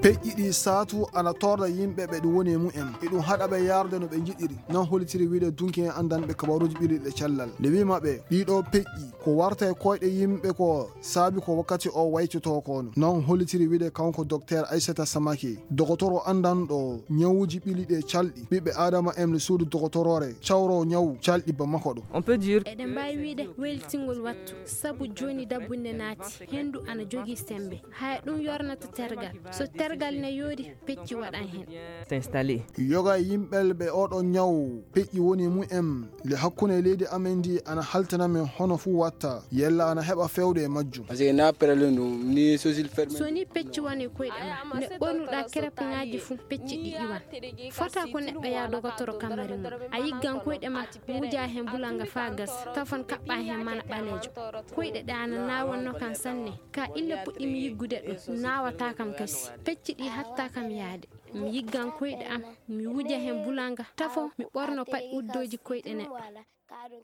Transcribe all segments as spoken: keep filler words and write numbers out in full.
Peƴƴi ɗi saatu ana torra yimɓe ɓe ɗum woni e mumen. Iɗum haɗa ɓe yarde no ɓe njiɗiri. Non hollitiri wiide dunki en anndanɓe kabaruuji ɓilliɗe cellal. Nde wiima ɓe, ɗiɗo peƴƴi, ko warta e koyɗe yimɓe ko saabi ko wakkati o waytotoo kono. Non hollitiri wiide kanko Doktor Aissata Samake, dogotoro anndanɗo ñawuuji ɓilliɗe calɗi. Ɓiɓɓe Aadama en no suudu dogotoroore cawro ñawu calɗi Bamako ɗo. On peut dire eɗen mbaawi wiide waylitingol wattu, sabu jooni dabbunde naati, henndu ana jogii semmbe. Haya ɗum yornata tergal. So tergal ne yooɗi, pecci waɗan heen. Est installé. Yoga e yimɓe ɓe oɗo ñaw peƴƴi woni mumen, le hakkunde leydi amen ndi ana haltana men hono fuu watta, yella ana heɓa fewde e majjum. Parce que na perele no ni sosil ferme. So ni pecci woni koyɗe ma, ne ɓornuɗa kerepuŋaaji fuu, pecci ɗi iwan. Fota ko neɗɗo yaa dogotoro kamari mum. A yiggan koyɗe ma, wuja heen bulanga faa gas, tafon kaɓɓa heen mana ɓaleejo. Koyɗe ɗe ana naawonno kan sanne, ka ille puɗɗimi yiggude ɗum, naawata kam kasi. Pecci ɗi hatta kam yaade. Mi yiggan koyɗe am, mi wuja heen bulanga, tafo, mi ɓorno paɗi uddooji koyɗe neɗɗo.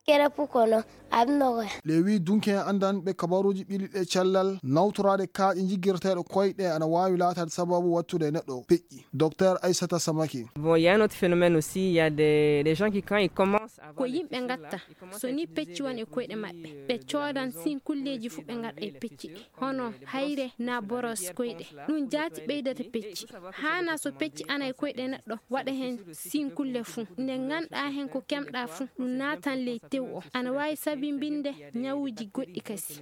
Kere pukono, abnogoya. Le wi dunki en anndanɓe kabaruuji ɓilliɗe cellal, nawtoraade kaaƴe jiggirteeɗo koyɗe ana waawi laataade sababu wattude e neɗɗo peƴƴi. Docteur Aissata Samake. Bon, il y a un autre phénomène aussi, il y a des, des gens qui, quand ils commencent à avoir ko des yimɓe pecci ngatta, là, ils commencent so à ni utiliser pecci won e les koyɗe produits, maɓɓe, euh, ɓe coodan sin kulleeji fuu ɓe ngaɗa e pecci ɗi, hono hayre na boros koyɗe. Ɗum jaati ɓeydata pecci. Haana so pecci ana e koyɗe neɗɗo, waɗa heen sin kulle fuu. Nde nganɗa heen ko kemɗa fuu, ɗum naatan ley tew o. Ana waawi sabinbinde ñawuuji goɗɗi kasi.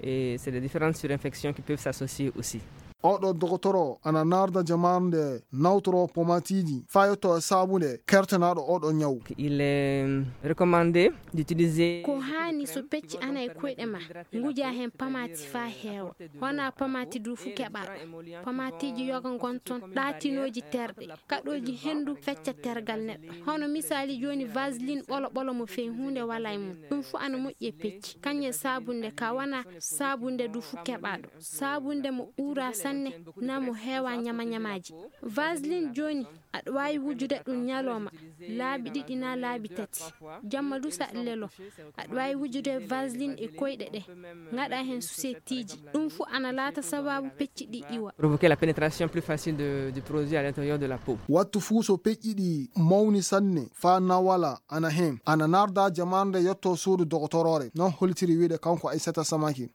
Et c'est des différentes surinfections qui peuvent s'associer aussi. Oɗo dogotoro ana narda jamaarde nawtoro pomatiiji faa yotto e saabunde kertanaaɗo oɗo ñaw. Il est recommandé d'utiliser. Ko haani so pecci ana e koyɗe ma, nguja heen pamaati faa heewa. Wona pamaati du fuu keɓaɗo. Pamaatiiji yoga ngon toon, ɗaatinooji terɗe, kaɗooji henndu fecca tergal neɗɗo. Hono misaali jooni vaseline ɓolo ɓolo mo fey huunde walaa e mum. Ɗum fuu ana moƴƴi e pecci. Kañum e saabunde ka wona saabunde du fuu keɓaɗo. Saabunde mo uura sanne, na mo heewa ñama ñamaaji. Vaseline jooni, aɗa waawi wujude ɗum ñalooma, laabi ɗiɗi na laabi tati. Jamma du so aɗa lelo, aɗa waawi wujude vaseline e koyɗe ɗe, ngaɗa heen suseetiiji. Ɗum fuu ana laata sababu pecci ɗi iwa. Provoquer la pénétration plus facile de, du produit à l'intérieur de la peau. Wattu fuu so peƴƴi ɗi mawni sanne, faa nawala ana heen, ana narda jamaarde yotto suudu dogotoroore. Non hollitiri wiide kanko Aissata Samake.